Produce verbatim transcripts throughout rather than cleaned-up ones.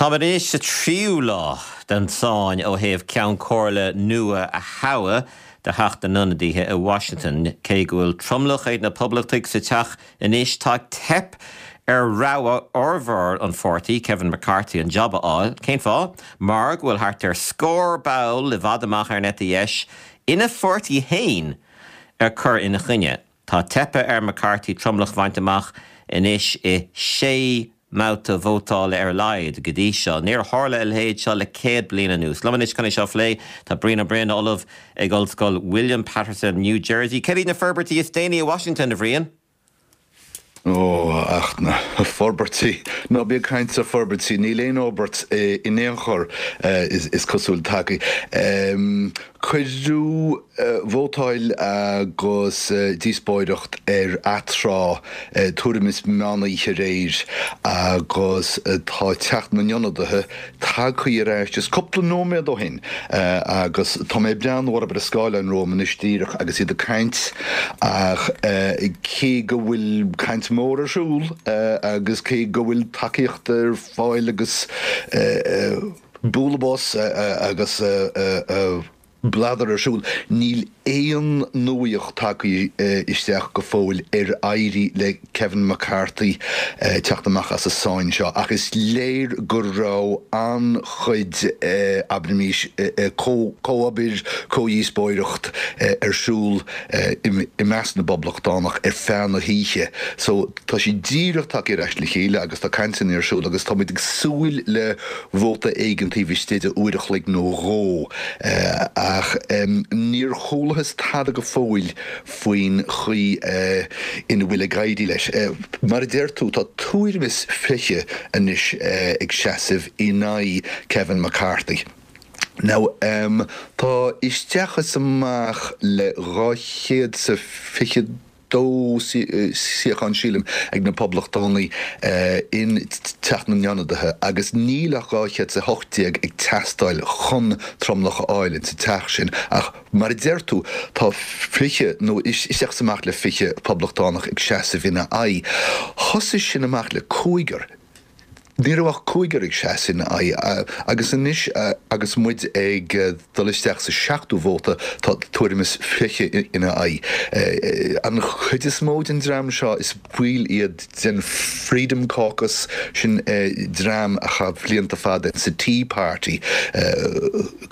Táimid anois sa tríú lá den tsáinn ó thaobh Ceann Comhairle nua a thoghadh do Theach na nIonadaithe i Washington, cé go bhfuil tromlach ag na Poblachtaigh sa teach anois tá teip ar rogha fhormhór an pháirtí Kevin McCarthy an job a fháil, cén fáth, mar go bhfuil thart ar scór ball i bhfad amach ar an eite dheis ina pháirtí féin ag cur ina choinne. Tá teipthe ar McCarthy tromlach a bhaint amach anois i sé mbabhta vótála ar a laghad go dtí seo. Níor tharla a leithéid seo le céad bliain anuas. Liom anois chun é seo a phlé tá Brian Ó Broin, Ollamh ag Ollscoil William Paterson, New Jersey. Céard iad na forbairtí is déanaí i Washington a Bhriain? Ó ach na forbairtí ná bí ag caint ar forbairtí níl aon fhorbairt in aon chor is cosúil tagtha. Cuireadh vótáil agus díospóireacht ar atráth tuairim is meán oíche aréir agus tá Teach na nIonadaithe tagtha ar ais just cúpla nóiméad ó shin agus tá mé ag breathnú orthu ar an scáileán romham anois díreach agus iad ag caint ach cé go bhfuil caint mór ar siúl agus cé go bhfuil tacaíocht ar fáil agus bualadh bos agus bladar ar siúl, níl aon nuaíocht tagtha isteach go fóill ar éirigh le Kevin McCarthy teacht amach as an sáinn seo ach is léir go raibh an-chuid abraimis comhobair, comhdhíospóireacht ar siúl i measc na bPoblachtánach ar feadh na hoíche. So tá siad díreach tagtha ar ais le chéile agus tá cainteanna ar siúl agus táimid ag súil le vóta éigin taobh istigh de uair a chloig nó dhó. Ach níor chualathas tada go fóill faoin chaoi ina bhfuil ag éirí leis. Mar a deir tú, tá tuairim is fiche anois ag seasamh in aghaidh Kevin McCarthy. Now, tá isteach is amach le dhá chéad 's a fiche dó suíochán, sílim, ag na Poblachtánaigh in Teach na nIonadaithe agus níl ach dhá chéad 's a hocht déag ag teastáil chun tromlach a fháil insa teach sin. Ach mar a deir tú, tá fiche, nó isteach is amach le fiche Poblachtánach ag seasamh ina aghaidh. Thosaigh sin amach le cúigear. Ní raibh ach cúigear ag seasamh ina aghaidh agus anois agus muid ag dul isteach sa seachtú vóta tá tuairim is fiche ina aghaidh. An chuid is mó den dream seo is baill iad den Freedom Caucus, sin dream a chaith blianta fada sa Tea Party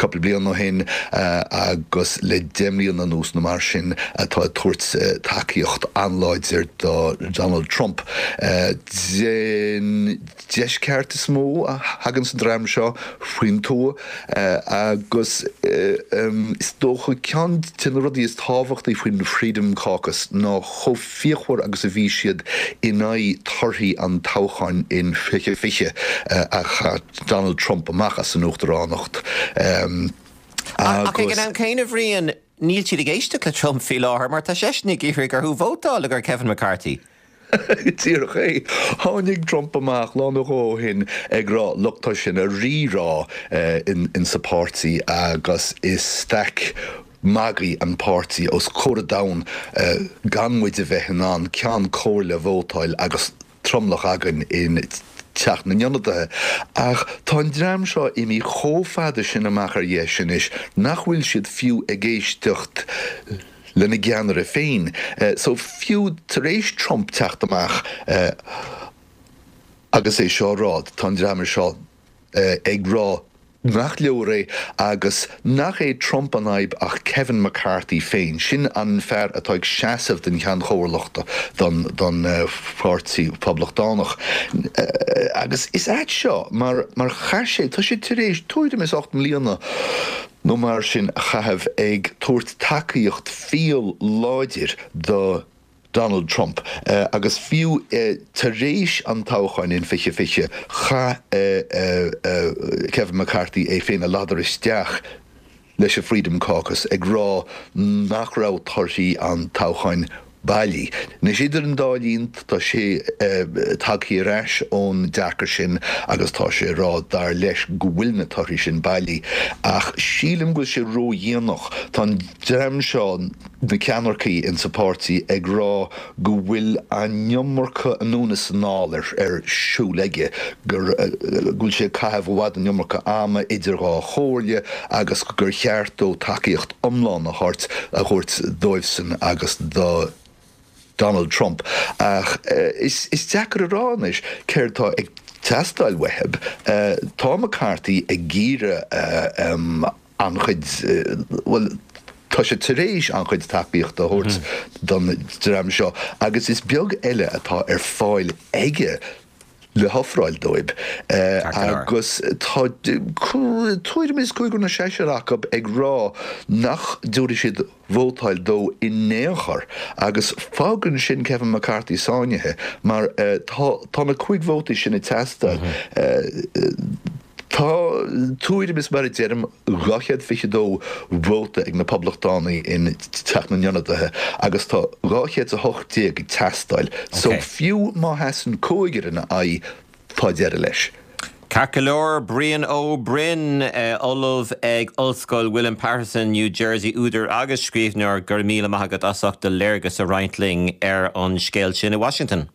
cúpla bliain ó shin agus le deich mbliana anuas nó mar sin atá ag tabhairt tacaíocht an-láidir do Donald Trump. Den deisceart is mó a thagann an dream seo faoin tuath agus is dócha ceann de na rudaí is tábhachtaí faoin Freedom Caucus ná chomh fíochmhar agus a bhí siad in aghaidh torthaí an toghcháin in fiche fiche a chaith Donald Trump amach as an uachtaránacht. Ach ag an am céanna, a Bhriain, níl siad ag éisteacht le Trump faoi láthair mar tá seisean ag iarraidh orthu vótáil do Kevin McCarthy. Díreach é. Tháinig Trump amach lá nó dhó ó shin ag rá look tá sé ina rírá insa pháirtí agus is staic magaidh an páirtí os comhair an domhain gan muid a bheith in ann ceann comhairle a vótáil agus tromlach againn in Teach na nIonadaithe. Ach tá an dream seo imithe chomh fada sin amach ar dheis anois nach bhfuil siad fiú ag éisteacht lena gceannaire féin. So fiú tar éis Trump teacht amach agus é seo a rá, tá an dream seo ag rá nach leor é agus nach é Trump an fhadhb ach Kevin McCarthy féin. Sin an fear atá ag seasamh don Cheann Chomhairleachta don don Pháirtí Poblachtánach. Agus is ait seo mar mar chaith sé, tá sé tar éis tuairim is ocht mbliana nó mar sin a chaitheamh ag tabhairt tacaíocht fial láidir do Donald Trump agus fiú tar éis an toghcháin in fiche fiche, chaith Kevin McCarthy é féin a ladar isteach leis an Freedom Caucus ag rá nach raibh torthaí an toghcháin bailí. Anois idir an dá linn tá sé tagtha ar ais ón dearcadh sin agus tá sé ag rá dar leis go bhfuil na torthaí sin bailí. Ach sílim go bhfuil sé ródhéanach. Tá an dream seo, na ceannaircigh insa pháirtí ag rá go bhfuil an iomarca anonn is anall ar ar siúl aige, gur go bhfuil sé ag caitheamh i bhfad an iomarca ama idir dhá chomhairle agus gur cheart dó tacaíocht iomlán a thabhairt a thabhairt dóibhsan agus do Donald Trump. Ach is is deacair a rá anois céard tá ag teastáil uathu. Tá McCarthy ag iarraidh an-chuid, bhuel, tá sé tar éis an-chuid tacaíochta a thabhairt don dream seo agus is beag eile atá ar fáil aige le hofráil dóibh. Agus tá tuairim is cúigear nó seisear acu ag rá nach dtabharfaidh siad vótáil dó in aon chor agus fágann sin Kevin McCarthy sáinnithe mar tá tá na cúig vótaí sin ag teastáil. Tá tuairim is mar a deirim dhá chéad fiche dó vóta ag na Poblachtánaigh in Teach na nIonadaithe agus tá dhá chéad is a hocht déag ag teastáil so fiú má sheasann cúigear ina aghaidh tá deireadh leis. Ceart go leor, Brian Ó Broin, Ollamh ag Ollscoil William Paterson, New Jersey, údar agus scríbhneoir, go raibh míle maith agat as ucht do léargas a roinnt linn ar an scéal sin i Washington.